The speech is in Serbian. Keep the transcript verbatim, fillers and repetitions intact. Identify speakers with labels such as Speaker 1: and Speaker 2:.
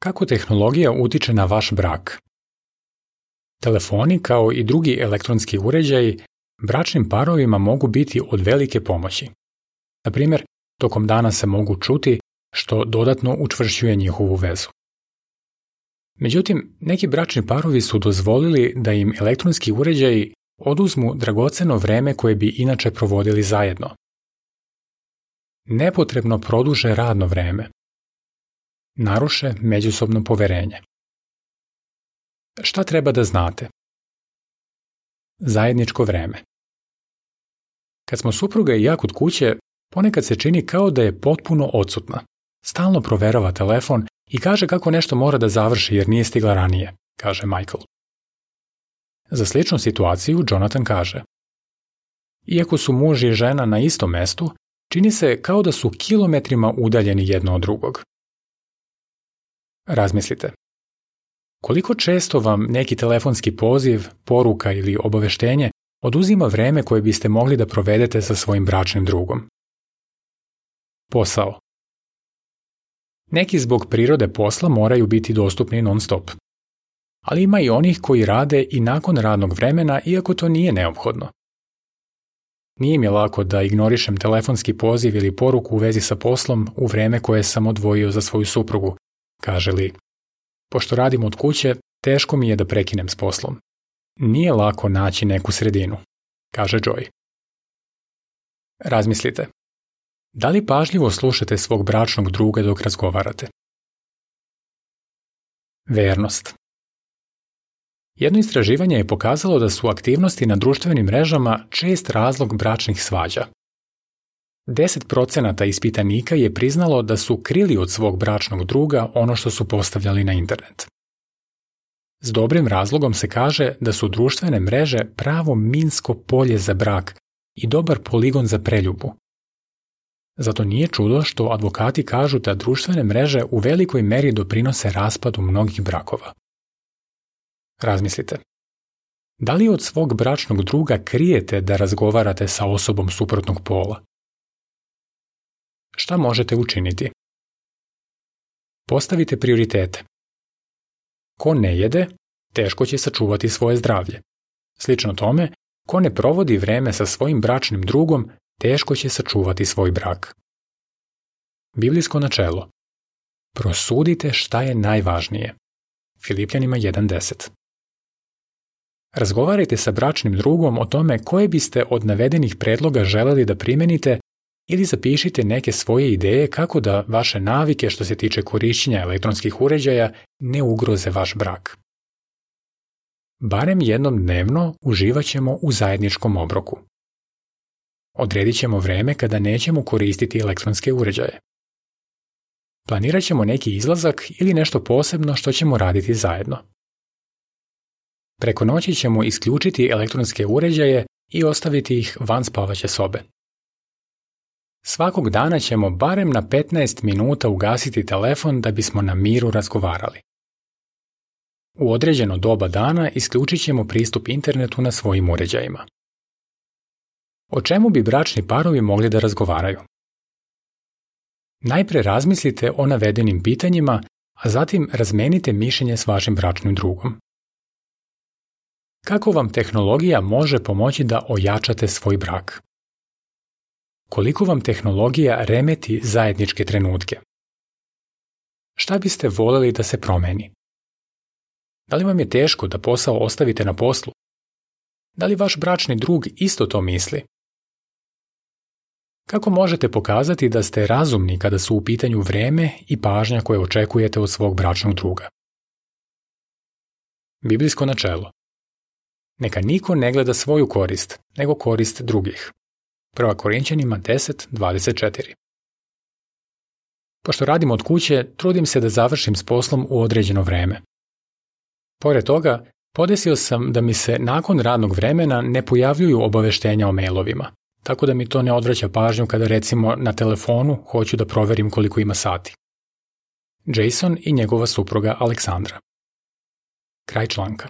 Speaker 1: Kako tehnologija utiče na vaš brak? Telefoni, kao i drugi elektronski uređaji, bračnim parovima mogu biti od velike pomoći. Na primjer, tokom dana se mogu čuti, što dodatno učvršćuje njihovu vezu. Međutim, neki bračni parovi su dozvolili da im elektronski uređaji oduzmu dragoceno vreme koje bi inače provodili zajedno. Nepotrebno produže radno vreme. Naruše međusobno poverenje. Šta treba da znate? Zajedničko vreme. Kad smo supruga i ja kod kuće, ponekad se čini kao da je potpuno odsutna. Stalno proverava telefon i kaže kako nešto mora da završi jer nije stigla ranije, kaže Michael. Za sličnu situaciju Jonathan kaže: iako su muž i žena na istom mestu, čini se kao da su kilometrima udaljeni jedno od drugog. Razmislite. Koliko često vam neki telefonski poziv, poruka ili obaveštenje oduzima vreme koje biste mogli da provedete sa svojim bračnim drugom? Posao. Neki zbog prirode posla moraju biti dostupni non stop. Ali ima i onih koji rade i nakon radnog vremena, iako to nije neophodno. Nije mi lako da ignorišem telefonski poziv ili poruku u vezi sa poslom u vreme koje sam odvojio za svoju suprugu, kaže Lee. Pošto radim od kuće, teško mi je da prekinem s poslom. Nije lako naći neku sredinu, kaže Joy. Razmislite. Da li pažljivo slušate svog bračnog druga dok razgovarate? Vernost. Jedno istraživanje je pokazalo da su aktivnosti na društvenim mrežama čest razlog bračnih svađa. deset procenata ispitanika je priznalo da su krili od svog bračnog druga ono što su postavljali na internet. S dobrim razlogom se kaže da su društvene mreže pravo minsko polje za brak i dobar poligon za preljubu. Zato nije čudo što advokati kažu da društvene mreže u velikoj meri doprinose raspadu mnogih brakova. Razmislite. Da li od svog bračnog druga krijete da razgovarate sa osobom suprotnog pola? Šta možete učiniti? Postavite prioritete. Ko ne jede, teško će sačuvati svoje zdravlje. Slično tome, ko ne provodi vreme sa svojim bračnim drugom, teško će sačuvati svoj brak. Biblijsko načelo. Prosudite šta je najvažnije. Filipljanima jedan deset. Razgovarajte sa bračnim drugom o tome koje biste od navedenih predloga želeli da primenite ili zapišite neke svoje ideje kako da vaše navike što se tiče korišćenja elektronskih uređaja ne ugroze vaš brak. Barem jednom dnevno uživat ćemo u zajedničkom obroku. Odredit ćemo vreme kada nećemo koristiti elektronske uređaje. Planirat ćemo neki izlazak ili nešto posebno što ćemo raditi zajedno. Preko noći ćemo isključiti elektronske uređaje i ostaviti ih van spavaće sobe. Svakog dana ćemo barem na petnaest minuta ugasiti telefon da bismo na miru razgovarali. U određeno doba dana isključit ćemo pristup internetu na svojim uređajima. O čemu bi bračni parovi mogli da razgovaraju? Najpre razmislite o navedenim pitanjima, a zatim razmenite mišljenje s vašim bračnim drugom. Kako vam tehnologija može pomoći da ojačate svoj brak? Koliko vam tehnologija remeti zajedničke trenutke? Šta biste voljeli da se promeni? Da li vam je teško da posao ostavite na poslu? Da li vaš bračni drug isto to misli? Kako možete pokazati da ste razumni kada su u pitanju vreme i pažnja koje očekujete od svog bračnog druga? Biblijsko načelo. Neka niko ne gleda svoju korist, nego korist drugih. Prva Korinćanima deset dvadeset četiri. Pošto radim od kuće, trudim se da završim s poslom u određeno vreme. Pored toga, podesio sam da mi se nakon radnog vremena ne pojavljuju obaveštenja o mailovima, tako da mi to ne odvraća pažnju kada recimo na telefonu hoću da proverim koliko ima sati. Jason i njegova supruga Aleksandra. Kraj članka.